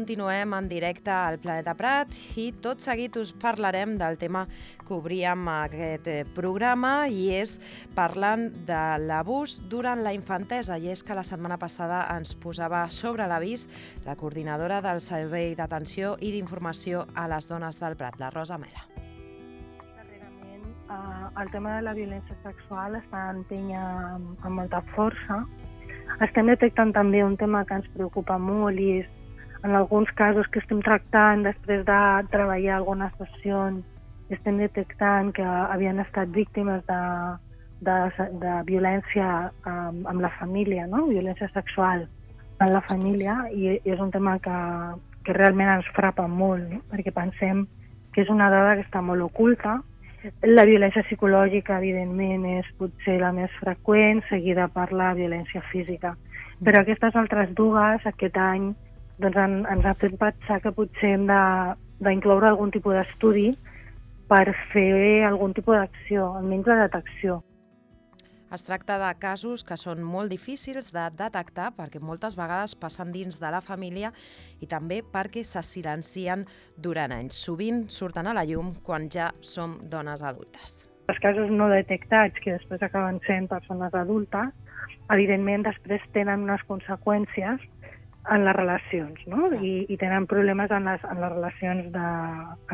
continuem en directe al Planeta Prat i tot seguit us parlarem del tema que obríem aquest programa i és parlant de l'abús durant la infantesa. I és que la setmana passada ens posava sobre l'avís la coordinadora del Servei d'Atenció i d'Informació a les Dones del Prat, la Rosa Mela. Darrerament, el tema de la violència sexual està empenya amb molta força. Estem detectant també un tema que ens preocupa molt i és, en alguns casos que estem tractant després de treballar algunes sessions, estem detectant que havien estat víctimes de violència amb la família, no? Violència sexual en la família, i és un tema que realment ens frapa molt, no? Perquè pensem que és una dada que està molt oculta. La violència psicològica, evidentment, és potser la més freqüent, seguida per la violència física. Però aquestes altres dues, aquest any, doncs ens ha fet pensar que potser hem d'incloure algun tipus d'estudi per fer algun tipus d'acció, almenys de detecció. Es tracta de casos que són molt difícils de detectar perquè moltes vegades passen dins de la família i també perquè se silencien durant anys. Sovint surten a la llum quan ja som dones adultes. Els casos no detectats, que després acaben sent persones adultes, evidentment després tenen unes conseqüències en les relacions, no? I tenen problemes en les relacions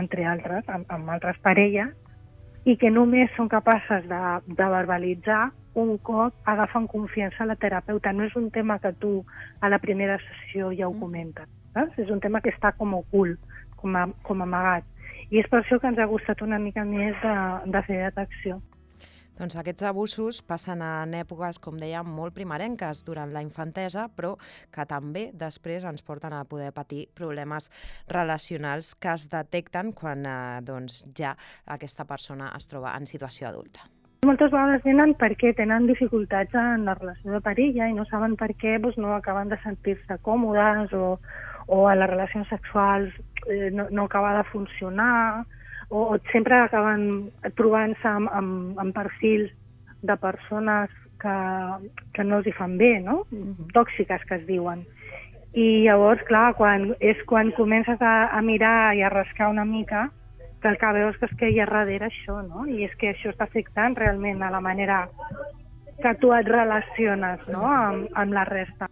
entre altres, amb altres parelles, i que només són capaces de verbalitzar un cop agafen confiança a la terapeuta. No és un tema que tu a la primera sessió ja ho comentes, saps? És un tema que està com ocult, com amagat. I és per això que ens ha costat una mica més de fer detecció. Doncs aquests abusos passen en èpoques, com dèiem, molt primerenques durant la infantesa, però que també després ens porten a poder patir problemes relacionals que es detecten quan ja aquesta persona es troba en situació adulta. Moltes vegades venen perquè tenen dificultats en la relació de parella i no saben per què no acaben de sentir-se còmodes o a les relacions sexuals no acaba de funcionar, o sempre acaben trobant-se amb perfils de persones que no els hi fan bé, no? Tòxiques, que es diuen. I llavors, clar, quan comences a mirar i a rascar una mica, que el que veus és que hi ha darrere això, no? I és que això està afectant realment a la manera que tu et relaciones, no? amb la resta.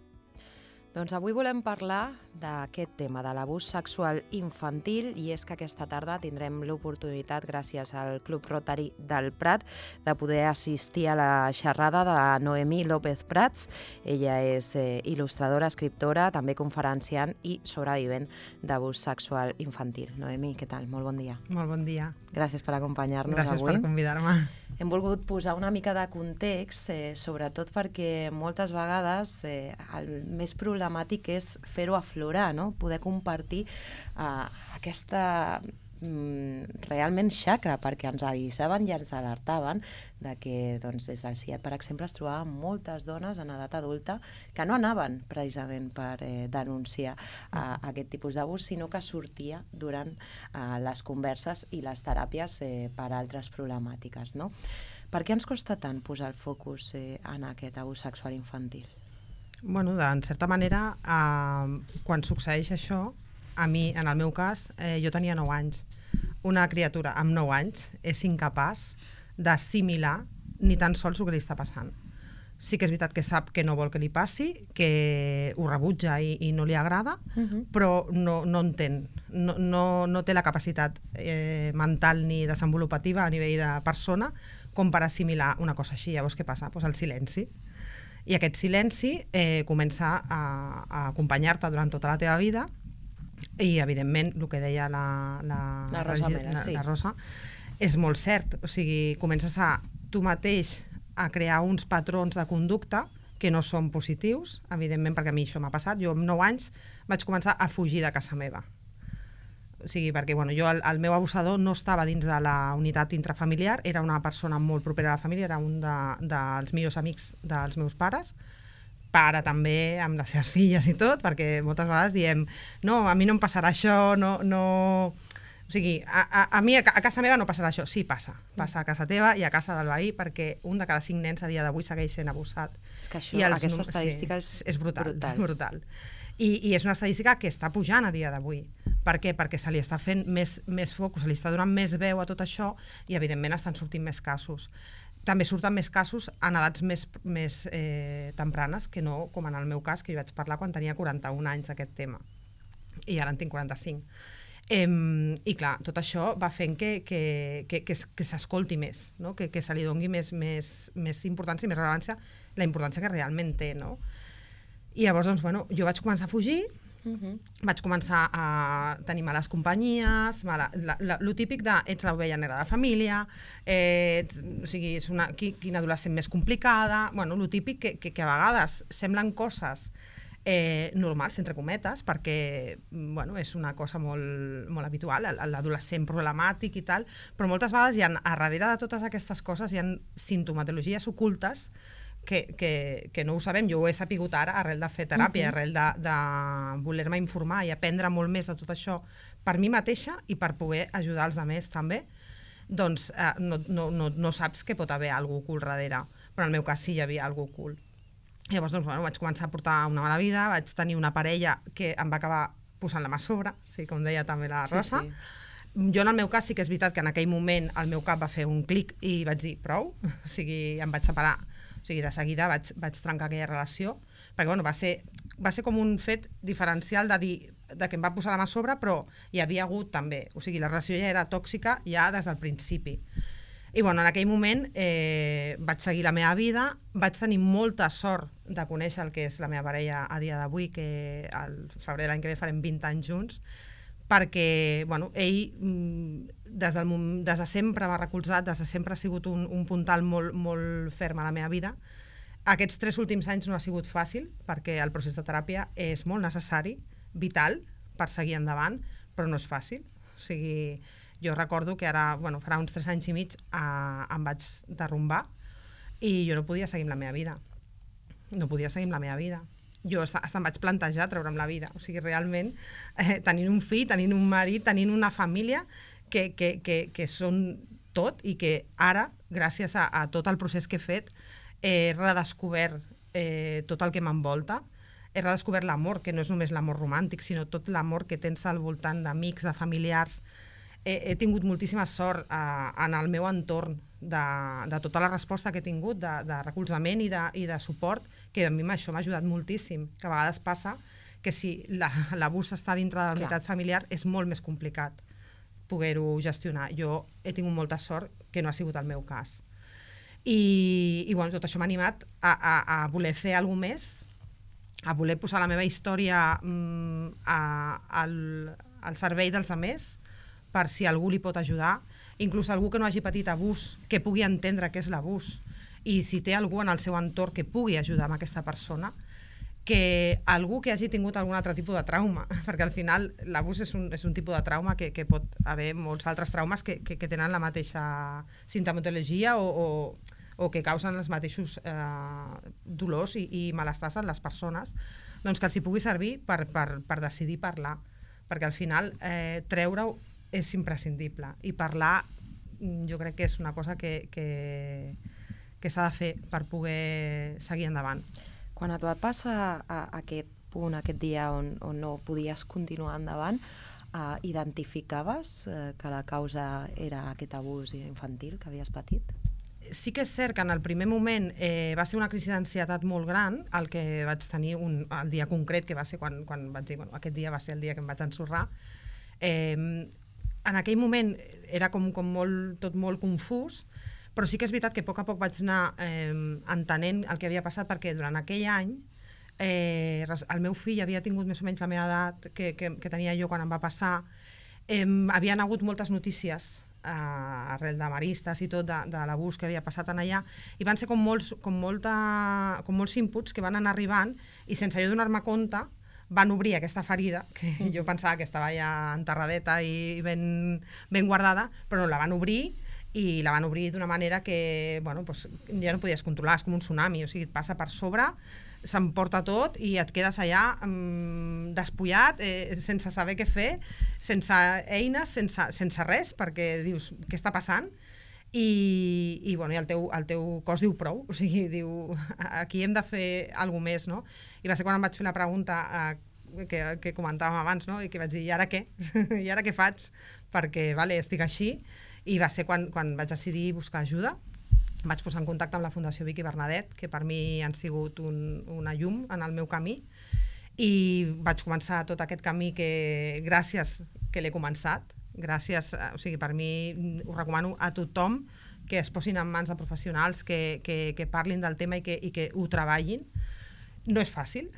Doncs avui volem parlar d'aquest tema, de l'abús sexual infantil, i és que aquesta tarda tindrem l'oportunitat, gràcies al Club Rotary del Prat, de poder assistir a la xerrada de Noemí López Prats. Ella és il·lustradora, escriptora, també conferenciant i sobrevivent d'abús sexual infantil. Noemí, què tal? Molt bon dia. Molt bon dia. Gràcies per acompanyar-nos avui. Gràcies per convidar-me. Hem volgut posar una mica de context, sobretot perquè moltes vegades el més problemàtic és fer-ho aflorar, no? Poder compartir aquesta realment xacra, perquè ens avisaven i ens alertaven de que des del CIAT, per exemple, es trobaven moltes dones en edat adulta que no anaven precisament per denunciar aquest tipus d'abús, sinó que sortia durant les converses i les teràpies per altres problemàtiques, no? Per què ens costa tant posar el focus en aquest abús sexual infantil? Bueno, en certa manera, quan succeeix això, a mi, en el meu cas, jo tenia 9 anys. Una criatura amb 9 anys és incapaç d'assimilar ni tan sols el que li està passant. Sí que és veritat que sap que no vol que li passi, que ho rebutja i no li agrada, però no entén. No té la capacitat mental ni desenvolupativa a nivell de persona com per assimilar una cosa així. Llavors, què passa? Doncs el silenci. I aquest silenci comença a acompanyar-te durant tota la teva vida. I, evidentment, el que deia la Rosa Mela, sí. La Rosa, és molt cert. O sigui, comences tu mateix a crear uns patrons de conducta que no són positius, evidentment, perquè a mi això m'ha passat. Jo amb 9 anys vaig començar a fugir de casa meva. O sigui, perquè el meu abusador no estava dins de la unitat intrafamiliar, era una persona molt propera a la família, era un dels millors amics dels meus pares, pare també, amb les seves filles i tot, perquè moltes vegades diem no, a mi no em passarà això, no... O sigui, a mi a casa meva no passarà això. Sí, passa a casa teva i a casa del veí, perquè un de cada 5 nens a dia d'avui segueix sent abusat. És que això, aquesta estadística és brutal. I és una estadística que està pujant a dia d'avui. Per què? Perquè se li està fent més focus, se li està donant més veu a tot això i, evidentment, estan sortint més casos. També surten més casos en edats més tempranes que no, com en el meu cas, que hi vaig parlar quan tenia 41 anys d'aquest tema. I ara en tinc 45. I clar, tot això va fent que s'escolti més, no? Que se li doni més importància i més rellevància, la importància que realment té, no? I llavors, doncs, bueno, jo vaig començar a fugir, vaig començar a tenir males companyies, lo típic de ets l'ovella negra de la família, o sigui, és quina adolescent més complicada, bueno, lo típic que a vegades semblen coses normals, entre cometes, perquè bueno, és una cosa molt habitual, l'adolescent problemàtic i tal, però moltes vegades hi ha, a darrere de totes aquestes coses, hi ha sintomatologies ocultes que no ho sabem. Jo ho he sapigut ara arrel de fer teràpia, arrel de voler-me informar i aprendre molt més de tot això per mi mateixa i per poder ajudar els altres també. Doncs no saps que pot haver alguna cosa ocult darrere, però en el meu cas sí hi havia alguna cosa ocult. Llavors, doncs, bueno, vaig començar a portar una mala vida, vaig tenir una parella que em va acabar posant la mà a sobre, sí, com deia també la Rosa. Sí. Jo, en el meu cas, sí que és veritat que en aquell moment el meu cap va fer un clic i vaig dir prou, o sigui, em vaig separar, o sigui, de seguida vaig trencar aquella relació, perquè bueno, va ser com un fet diferencial de que em va posar la mà a sobre, però hi havia hagut també, o sigui, la relació ja era tòxica ja des del principi. I bueno, en aquell moment vaig seguir la meva vida, vaig tenir molta sort de conèixer el que és la meva parella a dia d'avui, que al febrer de l'any que ve farem 20 anys junts, perquè bueno, ell des de sempre m'ha recolzat, des de sempre ha sigut un puntal molt ferm a la meva vida. Aquests 3 últims anys no ha sigut fàcil, perquè el procés de teràpia és molt necessari, vital, per seguir endavant, però no és fàcil. O sigui, jo recordo que ara, bueno, farà uns 3 anys i mig em vaig derrumbar i jo no podia seguir amb la meva vida. No podia seguir amb la meva vida. Jo em vaig plantejar treure'm la vida. O sigui, realment, tenint un fill, tenint un marit, tenint una família que són tot i que ara, gràcies a tot el procés que he fet, he redescobert tot el que m'envolta. He redescobert l'amor, que no és només l'amor romàntic, sinó tot l'amor que tens al voltant d'amics, de familiars. He tingut moltíssima sort en el meu entorn de tota la resposta que he tingut, de recolzament i de suport, que a mi això m'ha ajudat moltíssim, que a vegades passa que si l'abús està dintre de la unitat familiar és molt més complicat poder-ho gestionar. Jo he tingut molta sort que no ha sigut el meu cas. I bueno, tot això m'ha animat a voler fer alguna més, a voler posar la meva història al servei dels altres, per si algú li pot ajudar, inclús algú que no hagi patit abús, que pugui entendre què és l'abús, i si té algú en el seu entorn que pugui ajudar amb aquesta persona, que algú que hagi tingut algun altre tipus de trauma, perquè al final l'abús és un tipus de trauma que pot haver molts altres traumes que tenen la mateixa sintomatologia o que causen els mateixos dolors i malestars en les persones, doncs que els hi pugui servir per decidir parlar, perquè al final treure-ho és imprescindible, i parlar jo crec que és una cosa que s'ha de fer per poder seguir endavant. Quan et va passar a aquest punt, aquest dia on no podies continuar endavant, identificaves que la causa era aquest abús infantil que havies patit? Sí que és cert que en el primer moment va ser una crisi d'ansietat molt gran el que vaig tenir el dia concret, que va ser quan vaig dir, bueno, aquest dia va ser el dia que em vaig ensorrar. En aquell moment era com tot molt confús, però sí que és veritat que a poc vaig anar entenent el que havia passat, perquè durant aquell any el meu fill havia tingut més o menys la meva edat que tenia jo quan em va passar. Havien hagut moltes notícies arrel de maristes i tot de l'abús que havia passat en allà, i van ser com molts inputs que van anar arribant, i sense jo donar-me compte van obrir aquesta ferida, que jo pensava que estava ja enterradeta i ben guardada, però la van obrir, i la van obrir d'una manera que bueno, doncs, ja no podies controlar, és com un tsunami, o sigui, et passa per sobre, s'emporta tot i et quedes allà despullat, sense saber què fer, sense eines, sense res, perquè dius, què està passant? I bueno, el teu cos diu prou, o sigui, diu, aquí hem de fer alguna més, no? I va ser quan em vaig fer la pregunta que comentàvem abans, no? I que vaig dir, i ara què? I ara què faig? Perquè, vale, estic així, i va ser quan vaig decidir buscar ajuda. Vaig posar en contacte amb la Fundació Vic i Bernadet, que per mi han sigut una llum en el meu camí, i vaig començar tot aquest camí que, gràcies que l'he començat, gràcies, o sigui, per mi ho recomano a tothom que es posin en mans de professionals, que parlin del tema i que ho treballin. No és fàcil,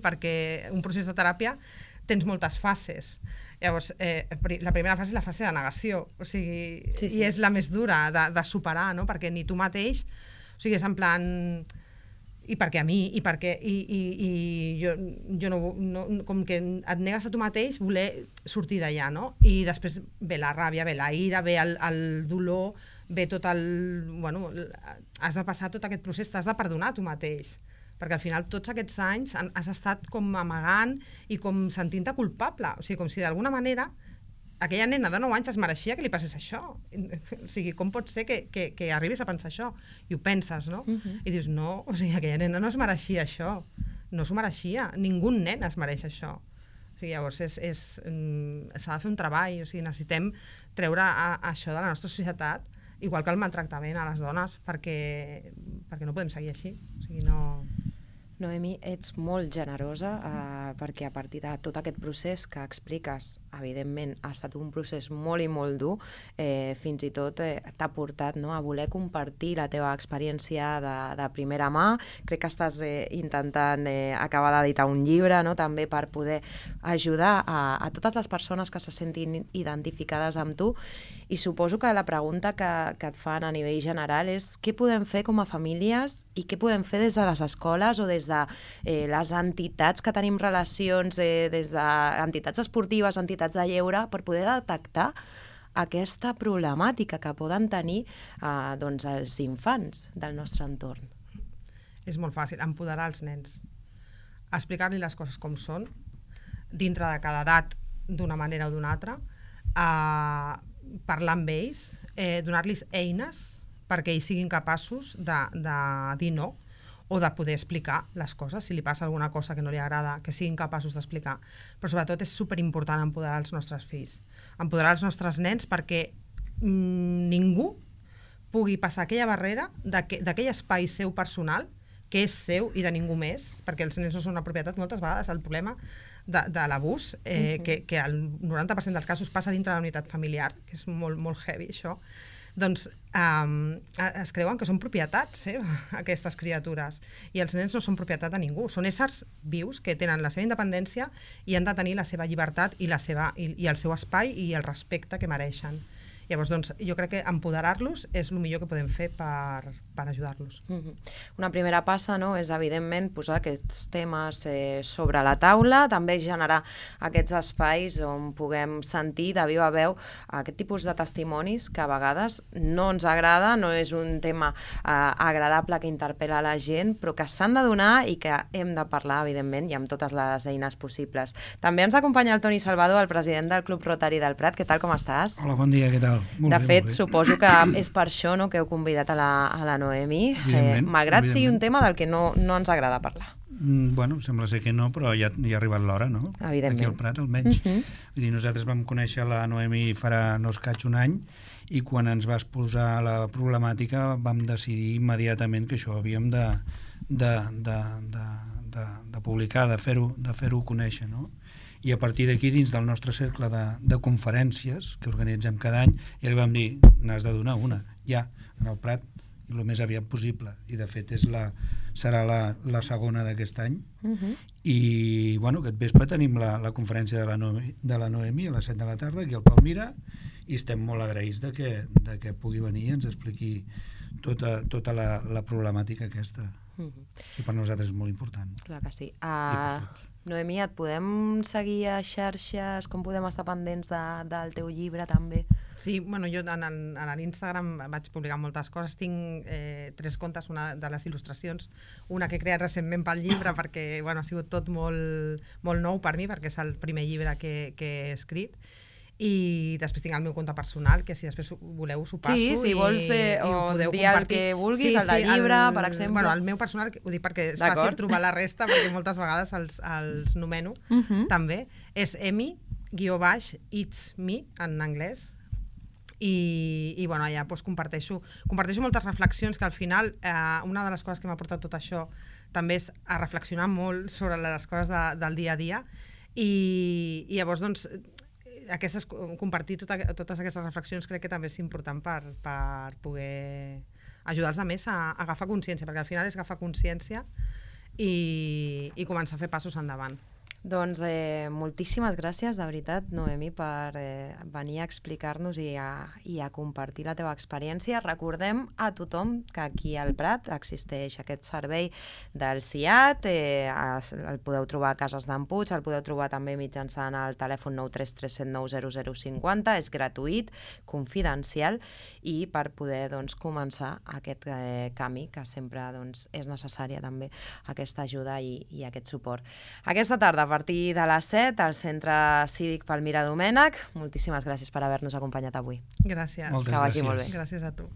perquè un procés de teràpia tens moltes fases. Llavors, la primera fase és la fase de negació, o sigui, sí. I és la més dura de superar, no? Perquè ni tu mateix, o sigui, és en plan, i perquè a mi, i perquè jo no, com que et negues a tu mateix voler sortir d'allà, no? I després ve la ràbia, ve la ira, ve el dolor, ve tot bueno, has de passar tot aquest procés, t'has de perdonar a tu mateix, perquè al final tots aquests anys has estat com amagant i com sentint-te culpable, o sigui, com si d'alguna manera aquella nena de 9 anys es mereixia que li passés això. O sigui, com pot ser que arribis a pensar això? I ho penses, no? I dius, no, o sigui, aquella nena no es mereixia això, no s'ho mereixia, ningú nen es mereix això. O sigui, llavors s'ha de fer un treball, o sigui, necessitem treure això de la nostra societat, igual que el maltractament a les dones, perquè no podem seguir així. O sigui, no... Noemi, ets molt generosa perquè a partir de tot aquest procés que expliques, evidentment ha estat un procés molt i molt dur, fins i tot t'ha portat, no, a voler compartir la teva experiència de primera mà. Crec que estàs intentant acabar d'editar un llibre, no, també per poder ajudar a totes les persones que se sentin identificades amb tu, i suposo que la pregunta que et fan a nivell general és què podem fer com a famílies i què podem fer des de les escoles o des de les entitats que tenim relacions, des d'entitats esportives, entitats de lleure, per poder detectar aquesta problemàtica que poden tenir doncs, els infants del nostre entorn. És molt fàcil, empoderar els nens, explicar-li les coses com són, dintre de cada edat, d'una manera o d'una altra, parlar amb ells, donar-los eines perquè ells siguin capaços de dir no, o de poder explicar les coses, si li passa alguna cosa que no li agrada, que siguin capaços d'explicar. Però sobretot és superimportant empoderar els nostres fills, empoderar els nostres nens perquè ningú pugui passar aquella barrera d'aquell espai seu personal, que és seu i de ningú més, perquè els nens no són una propietat moltes vegades. El problema de l'abús, que el 90% dels casos passa dintre de la unitat familiar, que és molt, molt heavy això, doncs es creuen que són propietat seva, aquestes criatures, i els nens no són propietat de ningú, són éssers vius que tenen la seva independència i han de tenir la seva llibertat i el seu espai i el respecte que mereixen. Llavors, doncs, jo crec que empoderar-los és el millor que podem fer per ajudar-los. Una primera passa, no, és evidentment posar aquests temes sobre la taula, també generar aquests espais on puguem sentir de viva veu aquest tipus de testimonis que a vegades no ens agrada, no és un tema agradable que interpel·la la gent, però que s'han de donar i que hem de parlar, evidentment, i amb totes les eines possibles. També ens acompanya el Toni Salvador, el president del Club Rotary del Prat. Què tal, com estàs? Hola, bon dia, què tal? De fet, suposo que és per això, no, que heu convidat a la Noemi, malgrat sigui un tema del que no ens agrada parlar. Bueno, sembla ser que no, però ja ha arribat l'hora, no? Evidentment. Aquí al Prat, almenys. Vull dir, nosaltres vam conèixer la Noemi farà no escaig un any, i quan ens vas posar la problemàtica vam decidir immediatament que això havíem de publicar, de fer-ho conèixer, no? I a partir d'aquí, dins del nostre cercle de conferències que organitzem cada any, ja li vam dir, n'has de donar una, ja, en el Prat, i el més aviat possible. I de fet serà la segona d'aquest any. I bueno, aquest vespre tenim la conferència de la Noemi a les 7 de la tarda aquí al Palmira, i estem molt agraïts de que pugui venir i ens expliqui tota la problemàtica aquesta. I per nosaltres és molt important. Clar que sí. Noemi, et podem seguir a xarxes? Com podem estar pendents del teu llibre també? Sí, bueno, jo a l'Instagram vaig publicar moltes coses. Tinc 3 comptes, una de les il·lustracions, una que he creat recentment pel llibre perquè ha sigut tot molt nou per mi, perquè és el primer llibre que he escrit. i després tinc el meu compte personal, que si després voleu us ho passo. Sí, si vols i ho o podeu dir compartir. el que vulguis, el de llibre, per exemple. Bueno, el meu personal, ho dic perquè és fàcil trobar la resta, perquè moltes vegades els nomeno, també. És Emi_It's Me, en anglès, i bueno, allà doncs, comparteixo moltes reflexions que al final una de les coses que m'ha portat tot això també és a reflexionar molt sobre les coses del dia a dia i llavors doncs compartir totes aquestes reflexions crec que també és important per poder ajudar els altres a agafar consciència, perquè al final és agafar consciència i començar a fer passos endavant. Doncs moltíssimes gràcies, de veritat, Noemi, per venir a explicar-nos i a compartir la teva experiència. Recordem a tothom que aquí al Prat existeix aquest servei del CIAT, el podeu trobar a Cases d'en Puig, el podeu trobar també mitjançant el telèfon 933790050, és gratuït, confidencial, i per poder començar aquest camí, que sempre és necessària també aquesta ajuda i aquest suport. Aquesta tarda, a partir de les 7, al Centre Cívic Palmira Domènech. Moltíssimes gràcies per haver-nos acompanyat avui. Gràcies. Moltes que vagi gràcies. molt bé. Gràcies a tu.